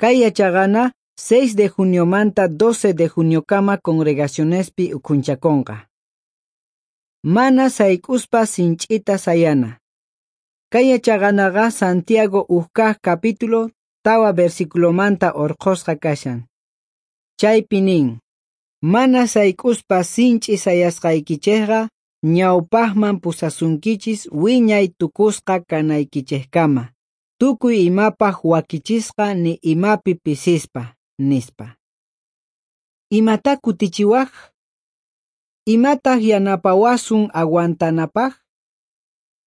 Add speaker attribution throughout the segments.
Speaker 1: Kay yachaqana 6 de juniomanta 12 de juniokama congregacionespi ukhunchakonqa. Mana sayk'uspa sinch'ita sayana. Kay yachaqanaqa Santiago ujkaj capítulo 4 versiculomanta orqhosqa kashan. Chaypi nin: Mana sayk'uspa sinch'i sayasqaykichejqa ñawpajman pusasunkichis wiñay tukusqa kanaykichejkama, tukuy imapaj wakichisqa ni imapi pisispa, nispa. Imata kutichiwaj? Imataj yanapawasun aguantanapaj?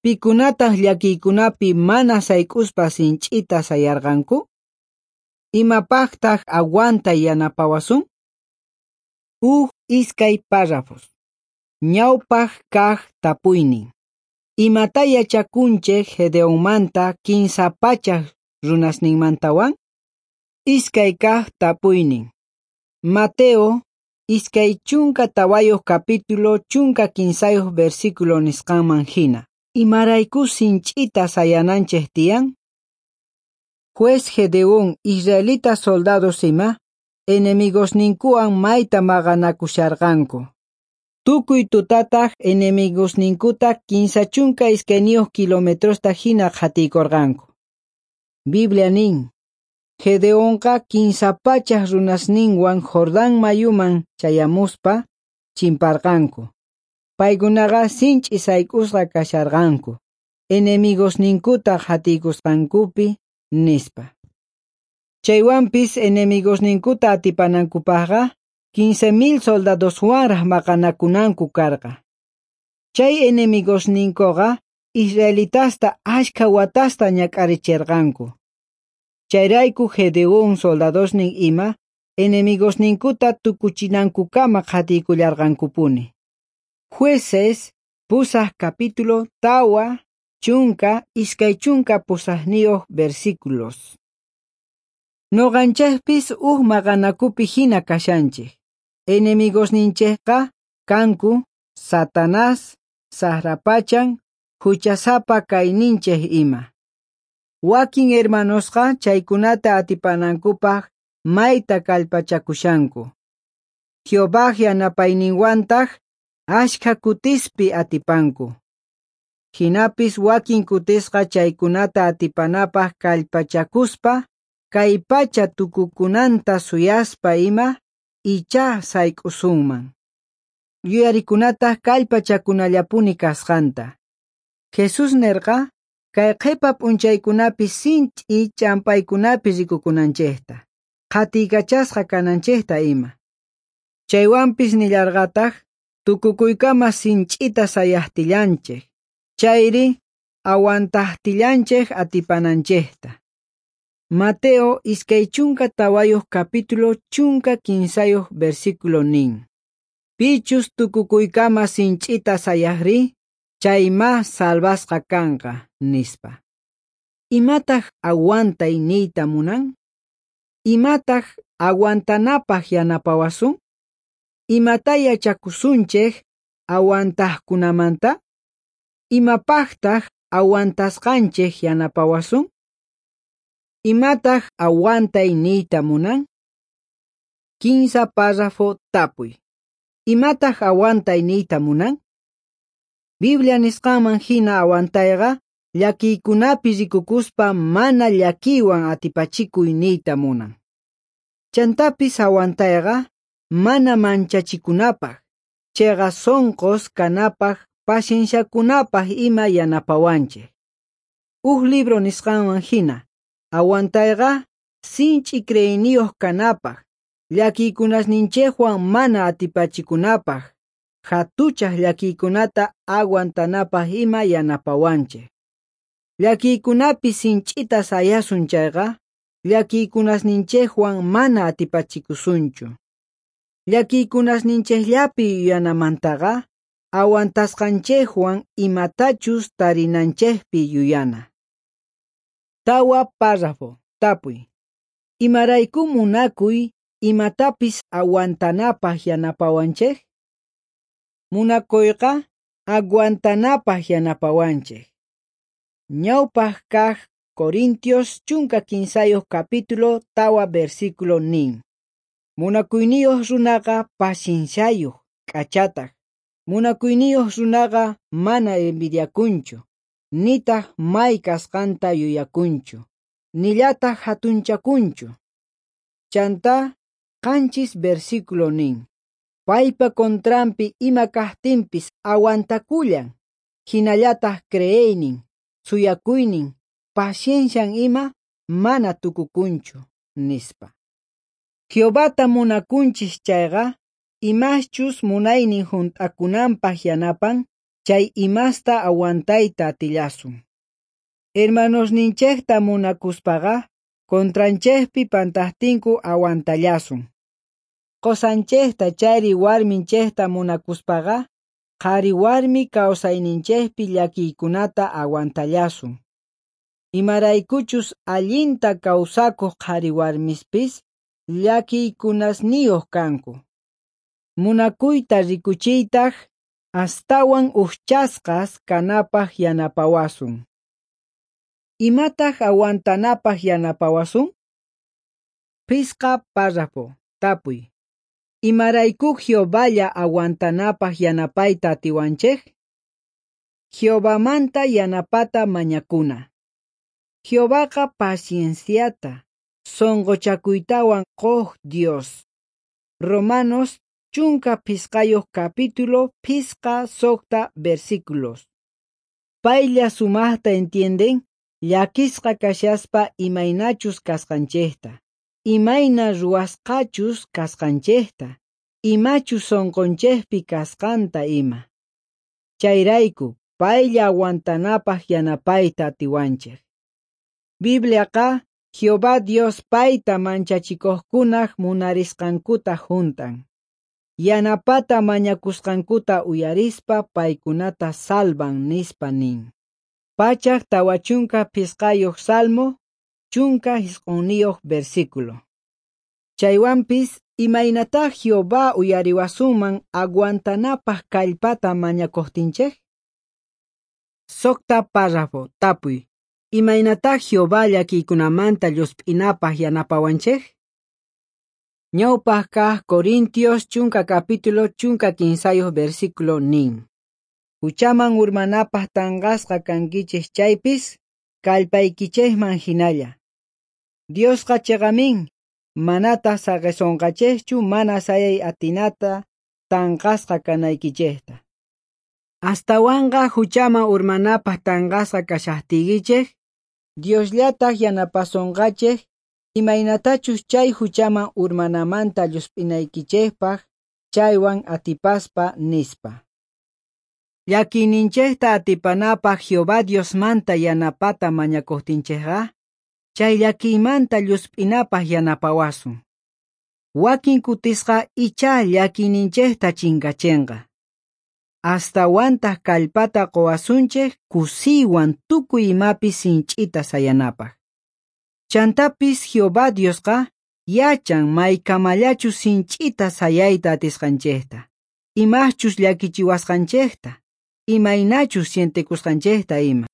Speaker 1: Pikunataj llakiykunapi mana sayk'uspa sinch'ita sayarqanku? Imapajtaj aguantay yanapawasun? Uj iskay párrafos. Ñawpaj kaj tapuynin. Imata yachakunchej Gedeonmanta 300 runasninmantawan? Iskay kaj tapuynin. Mateo 24 capítulo 13 versículo nisqanman hina. Imarayku sinch'ita sayananchej tiyan? Juez Gedeón israelita soldados ima enemigosninkuwan mayta maqanakusharqanku. Tukuy tutataj enemigosninkuta 32 kilometrosta hina qhatiykorqanku. Biblia nin: Gedeonqa 300 runasninwan Jordán mayuman chayamuspa chimparqanku. Paykunaqa sinch'i sayk'usqa kasharqanku, enemigosninkuta qhatiykusqankupi, nispa. Chaywanpis enemigosninkuta atipanankupajqa 15,000 soldadoswanraj maqanakunanku karqa. Chay enemigosninkoqa israelitasta ashkha watasta ñak'aricherqanku. Chayrayku Gedeón soldadosnin ima enemigosninkuta tukuchinankukama qhatiykullarqankupuni. Jueces 8 capítulo 4 28 versículos. Noqanchejpis uj maqanakupi hina kashanchej. Enemigosninchejqa kanku Satanás, sajrapachan, huchasapa kayninchej ima. Wakin hermanosqa chaykunata atipanankupaj mayta kallpachakushanku. Jehová yanapayninwantaj ashkha kutispi atipanku. Jinapis wakin kutisqa chaykunata atipanapaj kallpachakuspa, kay pacha tukukunanta suyaspa ima, ichá sayk'usunman. Yuyarikunataj kallpachakunallapuni kasqanta. Jesús nerqa kay qhipa p'unchaykunapi sinch'i ch'ampaykunapi rikukunanchejta, qhatiykachasqa kananchejta ima. Chaywanpis nillarqataj tukukuykama sinch'ita sayajtillanchej, chayri aguantajtillanchej atipananchejta. Mateo 24 capítulo 13 versículo nin. Pichus tukukuykama sinch'ita sayajri, chayma salvasqa kanqa, nispa. Imataj aguantay niyta munan? Imataj aguantanapaj yanapawasun? Imata yachakusunchej aguantajkunamanta? Imapajtaj aguantasqanchej yanapawasun? Imataj aguantay niyta munan? 15 párrafo tapuy. Imataj aguantay niyta munan? Biblia nisqanman hina aguantayqa llakiykunapi rikukuspa mana llakiywan atipachikuy niyta munan. Chantapis aguantayqa mana manchachikunapaj, chayqa sonqos kanapaj, pacienciakunapaj ima yanapawanchej. Uj libro nisqanman hina, aguantayqa sinch'i creeyniyuq kanapaj, llakiykunasninchejwan mana atipachikunapaj, hatuchaj llakiykunata aguantanapaj ima yanapawanchej. Llakiykunapi sinch'ita sayasun chayqa, llakiykunasninchejwan mana atipachikusunchu. Llakiykunasninchejllapi yuyanamantaqa, aguantasqanchejwan imatachus tarinanchejpi yuyana. 4 párrafo tapuy. Imarayku munakuy imatapis aguantanapaj yanapawanchej? Munakuyqa aguantanapaj yanapawanchej. Ñawpaj kaj Corintios 13 capítulo 4 versículo nin. Munakuyniyoj runaqa pacienciayoj, k'achataj. Munakuyniyoj runaqa mana envidiakunchu, nitaj may kasqanta yuyakunchu, nillataj jatunchakunchu. Chantá 7 versículo nin. Paypa contranpi ima kajtinpis aguantakullan, jinallataj creeynin, suyakuynin, paciencian ima mana tukukunchu, nispa. Jehovata munakunchis chayqa, imaschus munaynin junt'akunanpaj yanapan, chay imasta aguantayta atillasun. Hermanosninchejta munakuspaqa, contranchejpi pantajtinku aguantallasun. Qosanchejta chayri warminchejta munakuspaqa, qhari warmi kawsayninchejpi llakiykunata aguantallasun. Imaraykuchus allinta kawsakuq qhari warmispis llakiykunasniyuq kanku. Munakuyta rikuchiytaj astawan ujchasqas kanapaj yanapawasun. Imataj aguantanapaj yanapawasun? 5 párrafo. Tapuy. Imarayku Jehovalla aguantanapaj yanapayta atiwanchej? Jehovamanta yanapata mañakuna. Jehovaqa pacienciata, sonqochakuytawan quj Dios. Romanos 15 capítulo 5 6 versículos. Paylla sumajta entienden llakisqa kashaspa imaynachus kasqanchejta, imayna ruwasqachus kasqanchejta, imachus sonqonchejpi kasqanta ima. Chayrayku paylla aguantanapaj yanapayta atiwanchej. Bibliaqa Jehová Dios payta manchachikojkunaj munarisqankuta juntan. Yanapata mañakusqankuta uyarispa paykunata salvan nispa nin. 145 Salmo, 19 versículo. Chaywanpis imaynatá Jehová uyariwasunman aguantanapaj kallpata mañakojtinchej? 6 párrafo. Tapuy. Imaynatá Jehová llakiykunamanta llusp'inapaj yanapawanchej? Ñawpaj kaj Corintios 10 capítulo 15 versículo nin. Huchaman urmanapaj tanqasqa kankichej chaypis, kallpaykichejman hinalla. Diosqa chiqamin, manataq saqisonqachejchu mana sayay atinata tanqasqa kanaykichejta. Astawanqa huchaman urmanapaj tanqasqa kashajtiykichej, Diosllataq yanapasonqachej imaynatachus chay huchaman urmanamanta llusp'inaykichejpaj chaywan atipaspa nispa. Llakiyninchejta atipanapaj Jehová Diosmanta yanapata mañakojtinchejqa, chay llakiymanta llusp'inapaj yanapawasun. Wakin kutisqa ichá llakiyninchejta chinkachenqa. Astawantaj kallpata quwasunchej kusiywan tukuy imapi sinch'ita sayanapaj. Chantapis Jehová Diosqa yachan maykamallachus sinch'ita sayayta atisqanchejta, imachus llakichiwasqanchejta, imaynachus sientekusqanchejta ima.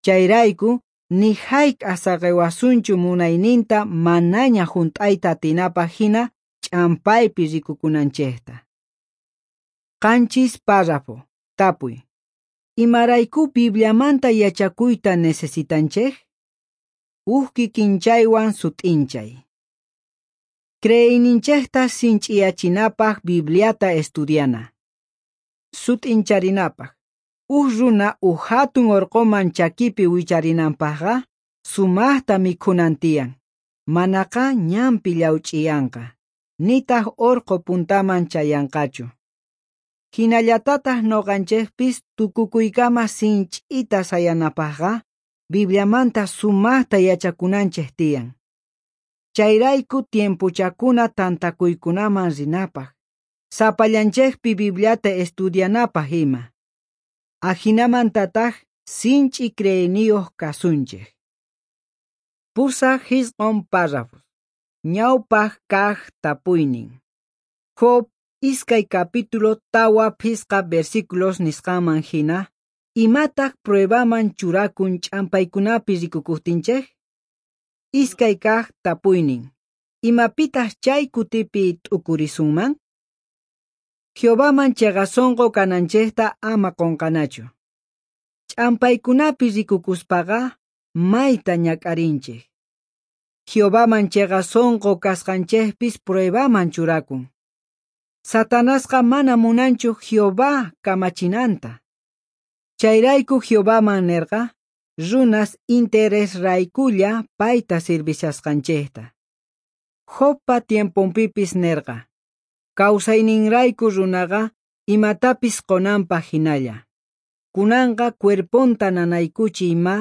Speaker 1: Chayrayku ni hayk'aq saqiwasunchu munayninta manaña junt'ayta atinapaj hina ch'ampaypi rikukunanchejta. 7 párrafo. Tapuy. Imarayku Bibliamanta yachakuyta necesitanchej? Uj kikinchaywan sut'inchay. Creeyninchejta sinch'iyachinapaj Bibliata estudiana. Sut'incharinapaj. Uj runa uj hatun orqoman chakipi wicharinanpajqa sumajta mikhunan tiyan, manaqa ñanpi llawch'iyanqa, nitaj orqo puntaman chayanqachu. Hinallatataj noqanchejpis tukukuykama sinch'ita sayanapajqa Bibliamanta sumajta yachakunanchej tiyan. Chayrayku tiempochakuna tantakuykunaman rinapaj, sapallanchejpi Bibliata estudianapaj ima. Ajinamantataj sinch'i creeyniyuq kasunchej. 8 párrafos. Ñawpaj kaj tapuynin. Job 2 capítulo 4 5 versículos nisqanman hina, Imataj pruebaman churakun ch'ampaykunapi rikukojtinchej? Iskay kaj tapuynin. Imapitaj chay kutipi t'ukurisunman? Jehovaman cheqa sonqo kananchejta ama qonqanachu. Ch'ampaykunapi rikukuspaqa mayta ñak'arinchej. Jehovaman cheqa sonqo kasqanchejpis pruebaman churakun. Satanasqa mana munanchu Jehová kamachinanta. Chayrayku Jehovaman nerqa, runas interesraykulla payta sirvishasqanchejta. Jobpa tiemponpipis nerqa, kawsayninrayku runaqa imatapis qonanpaj hinalla. Kunanqa cuerponta nanaykuchiy ma,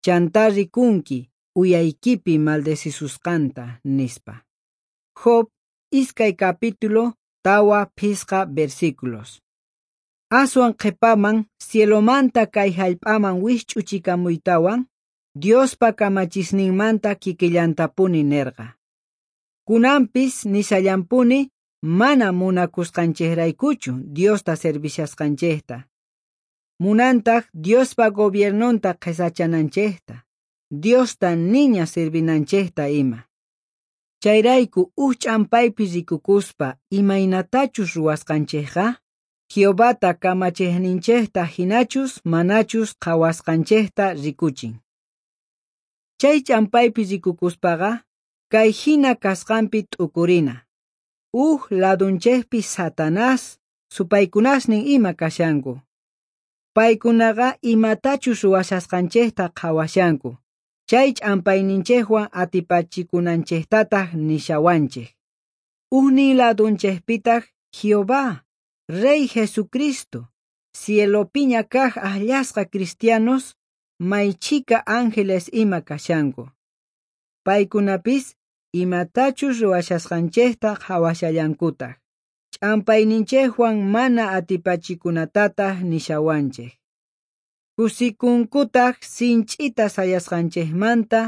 Speaker 1: chantá rikunki uyaykipi maldecisusqanta, nispa. Job 2 capítulo 4-5 versículos. Aswan qhepaman cielomanta kay jallp'aman wijch'uchikamuytawan, Diospa kamachisninmanta kikillantapuni nerqa. Kunanpis nishallampuni mana munakusqanchejraykuchu Diosta servishasqanchejta. Munantaj Diospa gobiernonta qhesachananchejta, Diosta niña servinanchejta ima. Chayrayku uj ch'ampaypi rikukuspa imaynatachus ruwasqanchejqa, Jehovata kamachejninchejta hinachus manachus qhawasqanchejta rikuchin. Chay ch'ampaypi rikukuspaqa, kay hina kasqanpi t'ukurina. Uj ladunchejpi Satanás supaykunasnin ima kashanku. Paykunaqa imatachus ruwashasqanchejta qhawashanku. Chay ch'ampayninchejwan atipachikunanchejtataj nishawanchej. Ujnin ladunchejpitaj Jehová, Rey Jesucristo, cielopiña kaj ajllasqa cristianos, maychhika ángeles ima kashanku. Paykunapis imatachus ruwashasqanchejta qhawashallankutaj. Ch'ampayninchejwan mana atipachikunatataj nishawanchej. Kusikunkutaj sinch'ita sayasqanchejmanta,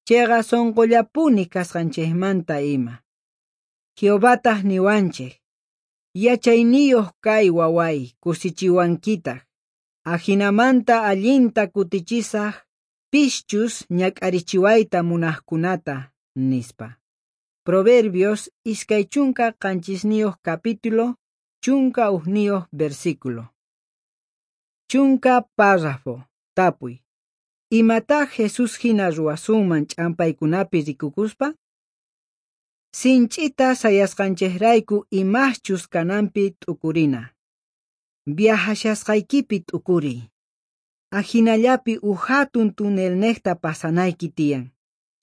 Speaker 1: cheqa sonqollapuni kasqanchejmanta ima. Jehovataj niwanchej, yachayniyoj kay waway kusichiwankitaj, ajinamanta allinta kutichisaj pischus ñak'arichiwayta munajkunata, nispa. Proverbios 27 capítulo 11 versículo. 10 párrafo. Tapuy. Imatá Jesús hina ruwasunman ch'ampaykunapi rikukuspa? Sinch'ita sayasqanchejrayku imachus kananpi t'ukurina. Viajashasqaykipi t'ukuriy. Ajinallapi uj hatun tunelnejta pasanayki tiyan.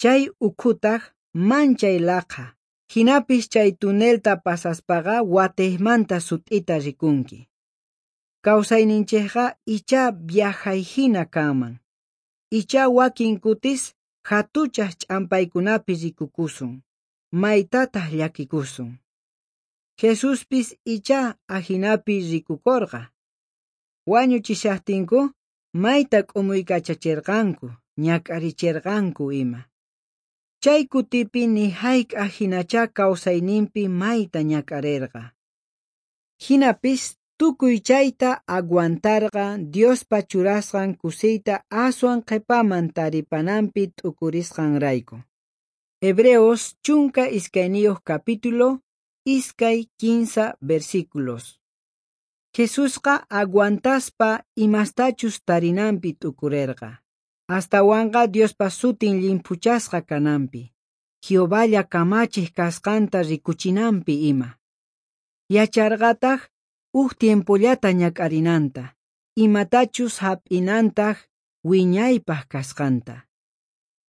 Speaker 1: Chay ukhutaj manchay laqha. Hinapis chay tunelta pasaspaqa watejmanta sut'ita rikunki. Kawsayninchejqa ichá viajay hina kanman. Ichá wakin kutis hatuchaj ch'ampaykunapi rikukusun, maytataj llakikusun. Jesuspis ichá ajinapi rikukorqa. Wañuchishajtinku mayta k'umuykachacherqanku, ñak'aricherqanku ima. Chay kutipi ni hayk'aj hinachá kawsayninpi mayta ñak'arerqa. Hinapis tukuy chayta aguantarqa Diospa churasqan kusiyta aswan qhepaman taripananpi t'ukurisqanrayku. Hebreos 12 capítulo 2-15 versículos. Jesusqa aguantaspa imastachus tarinanpi t'ukurerqa. Astawanqa Diospa sutin llimphuchasqa kananpi, Jehovalla kamachej kasqanta rikuchinanpi ima. Yacharqataj uj tiempollata ñak'arinanta, imatachus hap'inantaj wiñaypaj kasqanta.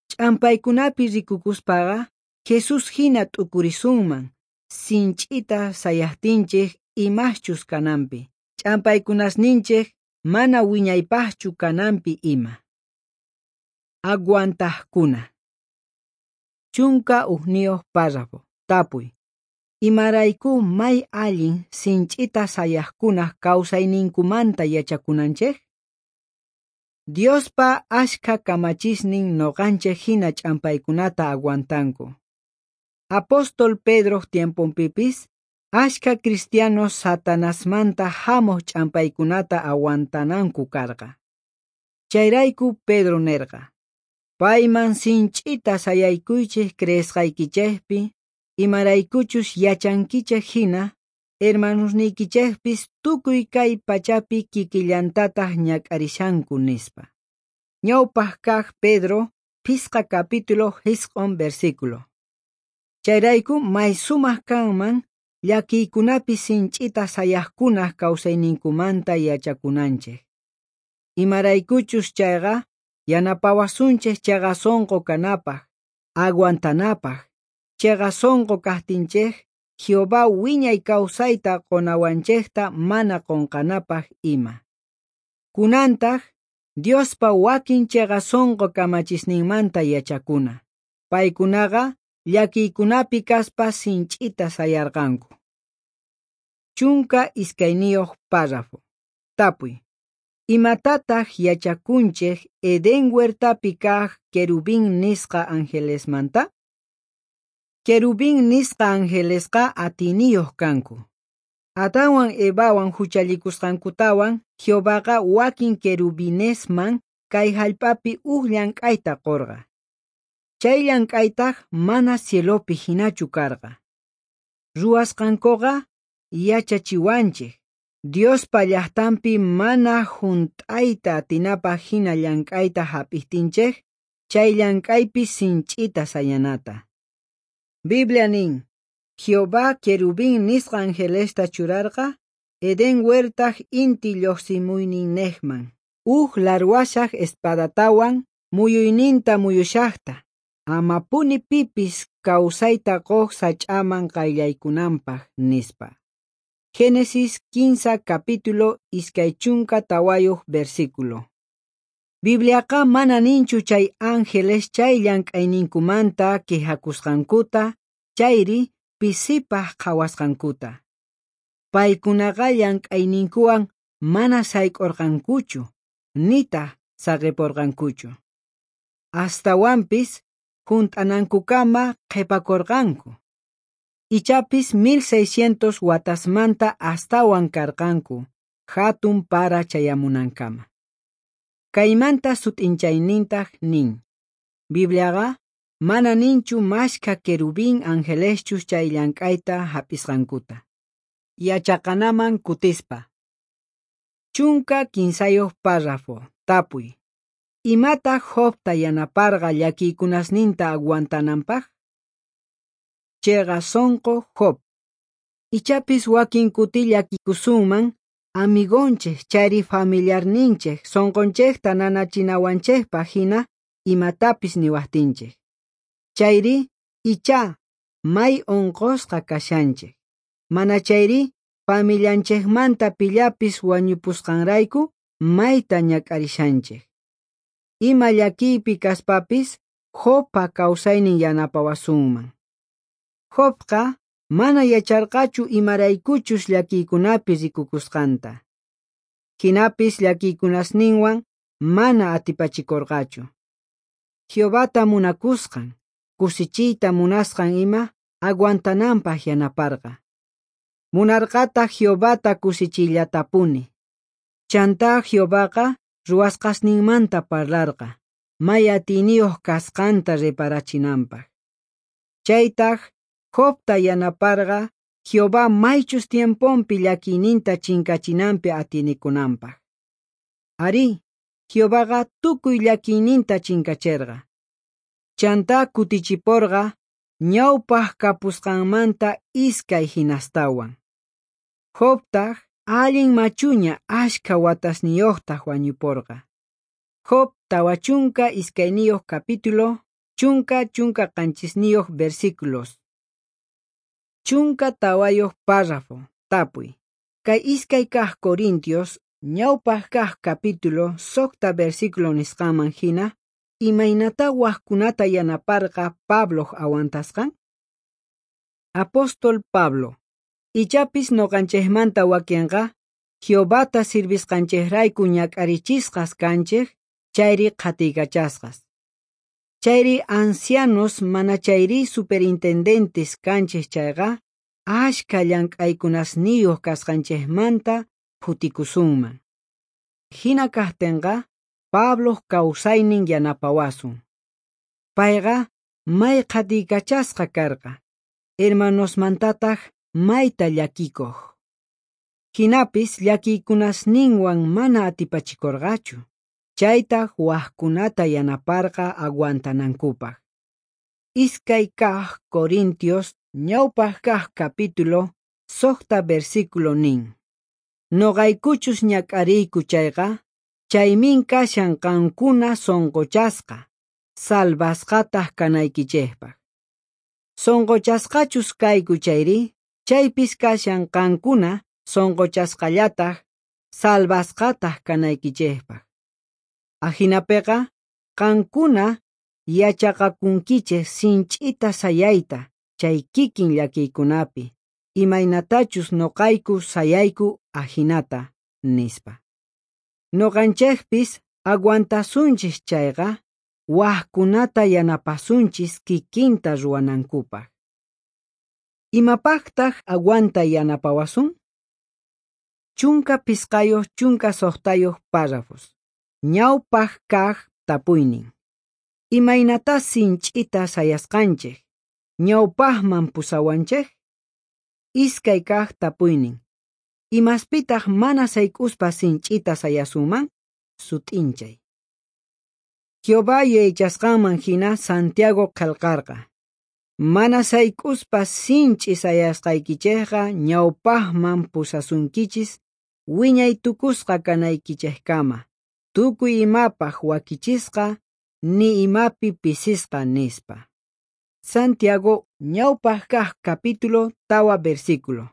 Speaker 1: Ch'ampaykunapi rikukuspaqa, Jesús hina t'ukurisunman, sinch'ita sayajtinchej imachus kananpi, ch'ampaykunasninchej mana wiñaypajchu kananpi ima. Aguantajkuna. 11 párrafo. Tapuy. Imarayku may allin sinch'ita sayajkunaj kawsayninkumanta yachakunanchej? Diospa ashkha kamachisnin noqanchej hina ch'ampaykunata aguantanku. Apóstol Pedroj tiemponpipis Ashkha cristianos Satanasmanta jamoj ch'ampaykunata aguantananku karqa. Chayrayku Pedro nerqa: Payman sinch'ita sayaykuychej creesqaykichejpi, imaraykuchus yachankichej jina, hermanosniykichejpis tukuy kay pachapi kikillantataj ñak'arishanku, nispa. Ñawpaj kaj Pedro, 5 capítulo 9 versículo. Chayrayku may sumaj kanman llakiykunapi sinch'ita sayajkunaj kawsayninkumanta yachakunanchej. Imaraykuchus chayqa yanapawasunchej cheqa sonqo kanapaj, aguantanapaj. Cheqa sonqo kajtinchej Jehová wiñay kawsayta qonawanchejta mana qonqanapaj ima. Kunantaj Diospa wakin cheqa sonqo kamachisninmanta yachakuna. Paykunaqa llakiykunapi kaspa sinch'ita sayarqanku. 12 párrafo. Tapuy. Imatataj yachakunchej Edén huertapi kaj querubín nisqa angelesmanta? Querubín nisqa angelesqa atiyniyoj kanku. Adanwan Evawan juchallikusqankutawan Jehovaqa wakin querubinesman kay jallp'api uj llank'ayta qorqa. Chay llank'aytaj mana cielopi jinachu karqa. Ruwasqankoqa yachachiwanchej Diospa llajtanpi mana junt'ayta atinapaj jina llank'ayta jap'ijtinchej, chay llank'aypi sinch'ita sayanata. Biblia nin, Jehová querubín nisqa angelesta churarqa Edén huertaj inti llojsimuyninnejman, uj larwashaj espadatawan muyuyninta muyushajta, amapuni pipis kawsayta qoj sach'aman qayllaykunanpaj, nispa. Génesis 15 capítulo 24 versículo. Bibliaqa mana ninchu chay ángeles chay llank'ayninkumanta quejakusqankuta, chayri pisipaj qhawasqankuta. Paykunaqa llank'ayninkuwan mana sayk'urqankuchu, nitaj saqipurqankuchu. Astawanpis junt'anankukama qhipakurqanku. Ichapis 1600 watasmanta astawan karqanku, hatun para chayamunankama. Kaymanta sut'inchaynintaj nin: Bibliaqa mana ninchu mashkha querubín angeleschus chay llank'ayta hap'isqankuta. Yachaqanaman kutispa. 13 párrafo. Tapuy. Imataj Jobta yanaparqa llakiykunasninta aguantananpaj? Cheqa sonqo Job. Ichapis wakin kuti llakikusunman amigonchej chayri familiarninchej sonqonchejta nanachinawanchejpaj jina imatapis niwajtinchej. Chayri ichá may onqosqa kashanchej. Mana chayri familianchejmanta pillapis wañupusqanrayku mayta ñak'arishanchej. Ima llakiypi kaspapis Jobpa kawsaynin yanapawasunman. Jobqa mana yacharqachu imaraykuchus llakiykunapi rikukusqanta. Jinapis llakiykunasninwan mana atipachikorqachu. Jehovata munakusqan, kusichiyta munasqan ima aguantananpaj yanaparqa. Munarqataj Jehovata kusichiyllatapuni. Chantá Jehovaqa ruwasqasninmanta parlarqa, may atiyniyoj kasqanta reparachinanpaj. Chaytaj Jobta yanaparqa Jehová maychus tiemponpi llakiyninta chinkachinanpi atinikunanpaj. Arí, Jehovaqa tukuy llakiyninta chinkacherqa. Chantá kutichiporqa ñawpaj kapusqanmanta iskay hinastawan. Jobtaj allin machuña ashkha watasniyojtaj wañuporqa. Job 42 capítulo 17 versículos. 14 párrafo. Tapuy. Kay iskay kaj Corintios ñawpaj kaj capítulo 6 versículo nisqanman jina, imaynatá wajkunata yanaparqa Pabloj aguantasqan? Apóstol Pablo. Ichapis noqanchejmanta wakenqa Jehovata sirvisqanchejrayku ñak'arichisqas kanchej chayri qhatiykachasqas. Chayri ancianos mana chayri superintendentes kanchej chayqa ashkha llank'aykunasniyoj kasqanchejmanta phutikusunman. Jina kajtenqa Pabloj kawsaynin yanapawasun. Payqa may qhatiykachasqa karqa, hermanosmantataj mayta llakikoj. Jinapis llakiykunasninwan mana atipachikorqachu, chaytaj wajkunata yanaparqa aguantanankupaj. 2 kaj Corintios ñawpaj kaj capítulo 6 versículo nin. Noqaykuchus ñak'ariyku chayqa, chaymin kashan qankuna sonqochasqa, salvasqataj kanaykichejpaj. Sonqochasqachus kayku chayri, chaypis kashan qankuna sonqochasqallataj, salvasqataj kanaykichejpaj. Ajinapeqa, qankuna yachaqakunkichej sinch'ita sayayta chay kikin llakiykunapi, imaynatachus noqayku sayayku ajinata, nispa. Noqanchejpis aguantasunchis chayqa, wajkunata yanapasunchis kikinta ruwanankupaj. Imapajtaj aguantay yanapawasun? 15 16 párrafos. Ñawpaj kaj tapuynin. Imaynatá sinch'ita sayasqanchej, ñawpajman pusawanchej? 2 kaj tapuynin. Imaspitaj mana sayk'uspa sinch'ita sayasunman? Sut'inchay. Jehová yuyaychasqanman hina Santiago qhelqarqa. Mana sayk'uspa sinch'i sayasqaykichejqa ñawpajman pusasunkichis wiñay tukusqa kanaykichejkama, tukuy imapaj wakichisqa, ni imapi pisisqa nispa. Santiago ñawpaj kaj capítulo 4 versículo.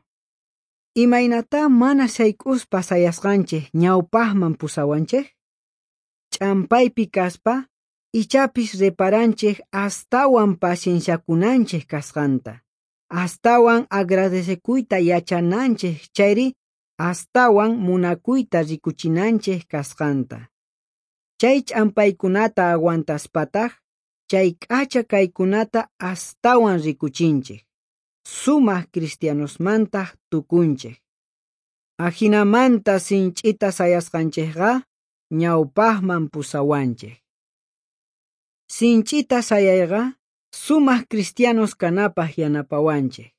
Speaker 1: Imaynatá mana sayk'uspa sayasqanchej ñawpajman pusawanchej? Ch'ampaypi kaspa, ichapis reparanchej astawan pacienciakunanchej kasqanta, astawan agradecekuyta yachananchej chayri astawan munakuyta rikuchinanchej kasqanta. Chay ch'ampaykunata aguantaspataj, chay k'acha kaykunata astawan rikuchinchej, sumaj cristianosmantaj tukunchej. Ajinamanta sinch'ita sayasqanchejqa ñawpajman pusawanchej. Sinch'ita sayayqa sumaj cristianos kanapaj yanapawanchej.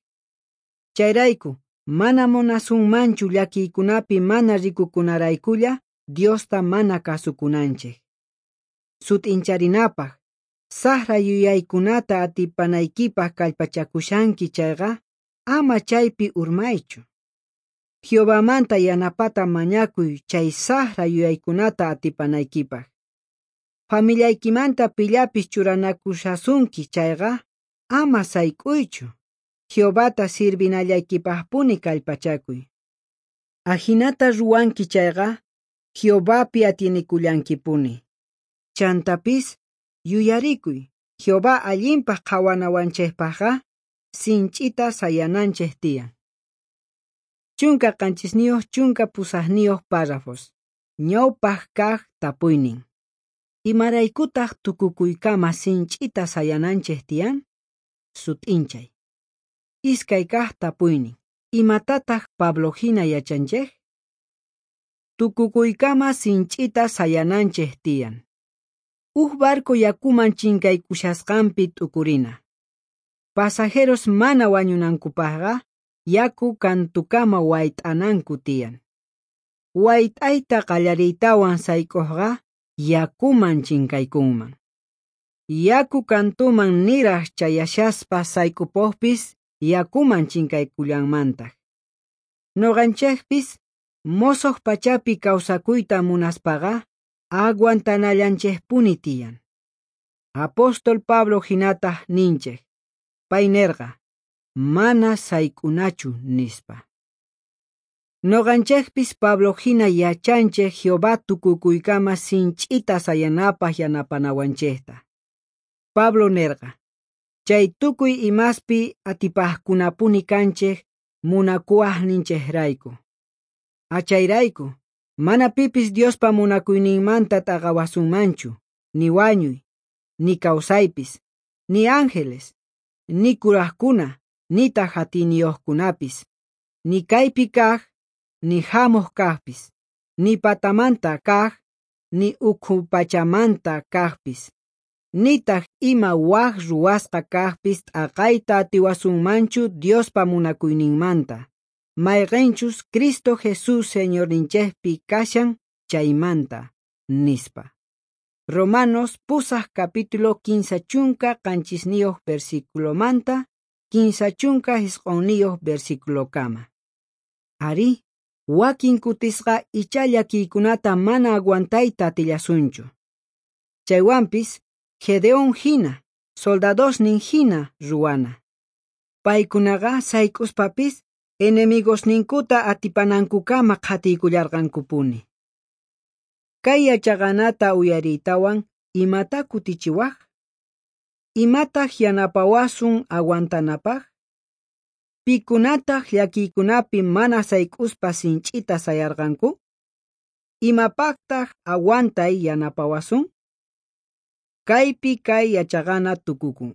Speaker 1: Chayrayku mana munasunmanchu llakiykunapi mana rikukunaraykulla Diosta mana kasukunanchej. Sut'incharinapaj, sajra yuyaykunata atipanaykipaj kallpachakushanki chayqa, ama chaypi urmaychu. Jehovamanta yanapata mañakuy chay sajra yuyaykunata atipanaykipaj. Familiaykimanta pillapis churanakushasunki chayqa, ama sayk'uychu. Jehovata sirvinallaykipajpuni kallpachakuy. Ajinata ruwanki chayqa, Jehovapi atienekullankipuni. Chantapis yuyarikuy, Jehová allinpaj qhawanawanchejpajqa sinch'ita sayananchej tiyan. 17 18 párrafos. Ñawpaj kaj tapuynin. Imaraykutaj tukukuykama sinch'ita sayananchej tiyan? Sut'inchay. 2 kaj tapuynin. Imatataj Pablo hina yachanchej? Tukukuykama sinch'ita sayananchej tiyan. Uj barco yakuman chinkaykushasqanpi t'ukurina. Pasajeros mana wañunankupajqa yaku kantukama wayt'ananku tiyan. Wayt'ayta qallariytawan sayk'ujqa yakuman chinkaykunman. Yaku kantuman niraj chayashaspa sayk'upojpis yakuman chinkaykullanmantaj. Noqanchejpis mosoj pachapi kawsakuyta munaspaqa aguantanallanchejpuni tiyan. Apóstol Pablo hinataj ninchej, pay nerqa, mana sayk'unachu nispa. Noqanchejpis Pablo hina yachanchej Jehová tukukuykama sinch'ita sayanapaj yanapanawanchejta. Pablo nerqa, chay tukuy imaspi atipajkunapuni kanchej munakuwajninchejrayku. Achayrayku, mana pipis Diospa munakuyninmanta t'aqawasunmanchu, ni wañuy, ni kawsaypis, ni ángeles, ni kurajkuna, nitaj atiyniyojkunapis, ni kaypi kaj, ni jamoj kajpis, ni patamanta kaj, ni ukhu pachamanta kajpis, nitaj ima waj ruwasqa kajpis t'aqayta atiwasunmanchu Diospa munakuyninmanta, mayqenchus Cristo Jesús Señorninchejpi kashan chaymanta, nispa. Romanos 8 capítulo 37 versículomanta 39 versículokama. Arí, wakin kutisqa ichá llakiykunata mana aguantayta atillasunchu. Chaywanpis, Gedeón hina, soldadosnin hina ruwana. Paykunaqa sayk'uspapis enemigosninkuta atipanankukama qhatiykullarqankupuni. Kay yachaqanata uyariytawan imata kutichiwaj? Imataq yanapawasun aguantanapaq? Pikunataq llakiykunapi mana sayk'uspa sinch'ita sayarqanku? Imapaqtaq aguantay yanapawasun? Kaypi kay yachaqana tukukun.